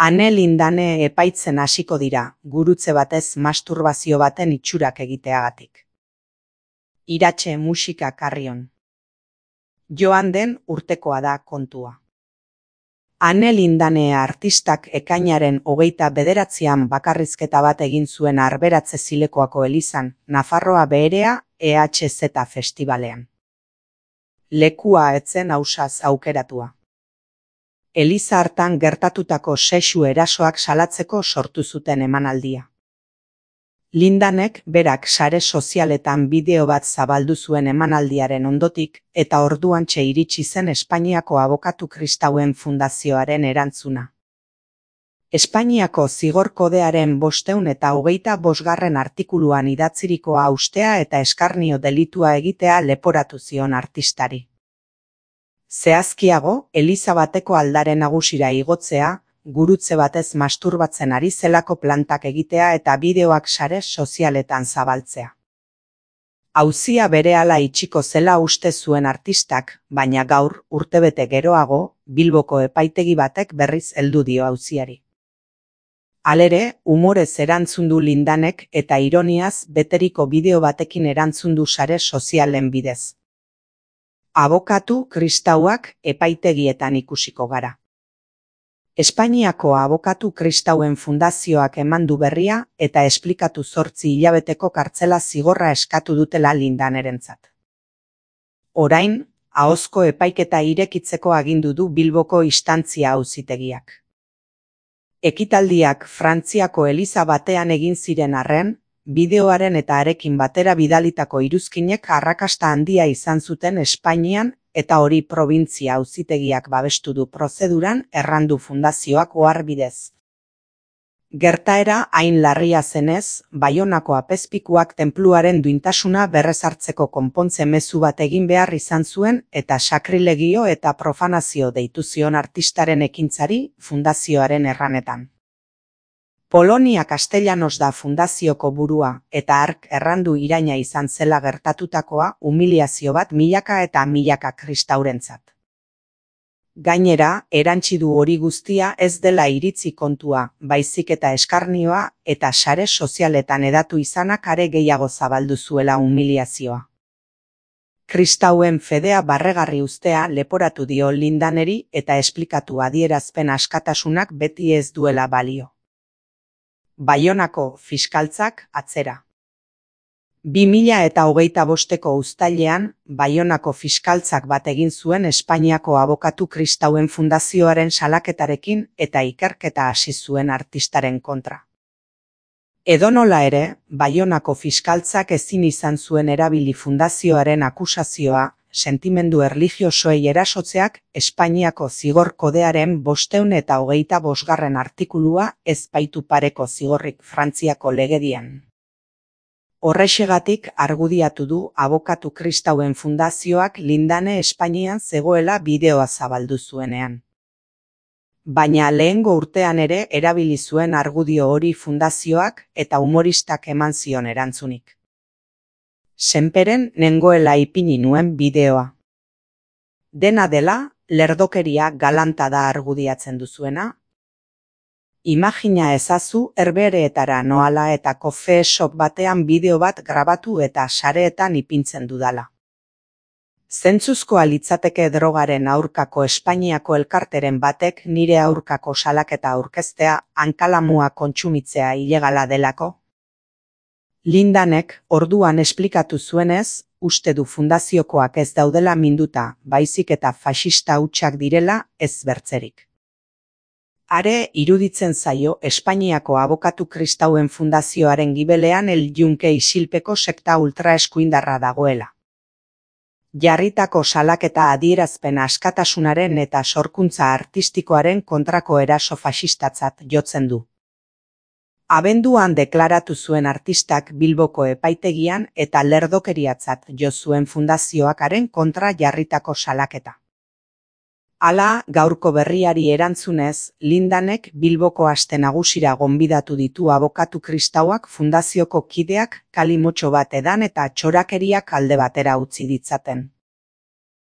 Ane Lindane epaitzen hasiko dira, gurutze batez masturbazio baten itxurak egiteagatik. Iratxe musika Carrion. Joan den urtekoa da kontua. Ane Lindane artistak ekainaren 29an bakarrizketa bat egin zuen Arberatze Zilekoako elizan, Nafarroa Beherea EHZ Festivalean. Lekua etzen ausaz aukeratua. Eliza hartan gertatutako sexu erasoak salatzeko sortu zuten emanaldia. Lindanek berak sare sozialetan bideo bat zabaldu zuen emanaldiaren ondotik eta orduantxe iritsi zen Espainiako Abokatu Kristauen Fundazioaren erantzuna. Espainiako Zigor Kodearen 525. artikuluan idatzirikoa haustea eta eskarnio delitua egitea leporatu zion artistari. Zehazkiago, eliza bateko aldare nagusira igotzea, gurutze batez masturbatzen ari zelako plantak egitea eta bideoak sare sozialetan zabaltzea. Auzia berehala itxiko zela uste zuen artistak, baina gaur, urtebete geroago, Bilboko epaitegi batek berriz heldu dio auziari. Halere, umorez erantzun du Lindanek eta ironiaz beteriko bideo batekin erantzun du sare sozialen bidez. Abokatu kristauak epaitegietan ikusiko gara. Espainiako Abokatu Kristauen Fundazioak eman du berria eta esplikatu 8 hilabeteko kartzela zigorra eskatu dutela Lindanerentzat. Orain, ahozko epaiketa irekitzeko agindu du Bilboko instantzia auzitegiak. Ekitaldiak Frantziako eliza batean egin ziren arren, bideoaren eta arekin batera bidalitako iruzkinek arrakasta handia izan zuten Espainian eta hori probintzia auzitegiak babestu du prozeduran errandu fundazioak oharbidez. Gertaera hain larria zenez, Baionako apezpikuak tenpluaren duintasuna berrezartzeko konpontze mezu bat egin behar izan zuen eta sakrilegio eta profanazio deitu zion artistaren ekintzari fundazioaren erranetan. Polonia Castellanos da fundazioko burua eta hark errandu iraina izan zela gertatutakoa humiliazio bat milaka eta milaka kristaurentzat. Gainera, erantsi du hori guztia ez dela iritzi kontua, baizik eta eskarnioa eta sare sozialetan hedatu izanak are gehiago zabaldu zuela humiliazioa. Kristauen fedea barregarri uztea leporatu dio Lindaneri eta esplikatu adierazpen askatasunak beti ez duela balio. Baionako fiskaltzak atzera. 2025ko uztailean, Baionako fiskaltzak bat egin zuen Espainiako Abokatu Kristauen Fundazioaren salaketarekin eta ikerketa hasi zuen artistaren kontra. Edonola ere, Baionako fiskaltzak ezin izan zuen erabili fundazioaren akusazioa, sentimendu erlijiosoei erasotzeak Espainiako Zigor Kodearen 525. artikulua ez baitu pareko zigorrik Frantziako legedian. Horrexegatik argudiatu du Abokatu Kristauen Fundazioak Lindane Espainian zegoela bideoa zabaldu zuenean. Baina lehengo urtean ere erabili zuen argudio hori fundazioak eta humoristak eman zion erantzunik. Senperen nengoela ipini nuen bideoa. Dena dela, lerdokeria galanta da argudiatzen duzuena. Imagina ezazu Herbehereetara noala eta coffee shop batean bideo bat grabatu eta sareetan ipintzen dudala. Zentzuzkoa litzateke drogaren aurkako Espainiako elkarteren batek nire aurkako salaketa aurkeztea hankalamua kontsumitzea ilegala delako? Lindanek orduan esplikatu zuenez, uste du fundaziokoak ez daudela minduta, baizik eta faxista hutsak direla ez bertzerik. Are iruditzen zaio Espainiako Abokatu Kristauen Fundazioaren gibelean El Yunque isilpeko sekta ultraeskuindarra dagoela. Jarritako salaketa adierazpen askatasunaren eta sorkuntza artistikoaren kontrako eraso faxistatzat jotzen du. Abenduan deklaratu zuen artistak Bilboko epaitegian eta lerdokeriatzat jo zuen fundazioakaren kontra jarritako salaketa. Hala, gaurko berriari erantzunez, Lindanek Bilboko aste nagusira gonbidatu ditu Abokatu Kristauak fundazioko kideak kalimotxo bat edan eta txorakeriak alde batera utzi ditzaten.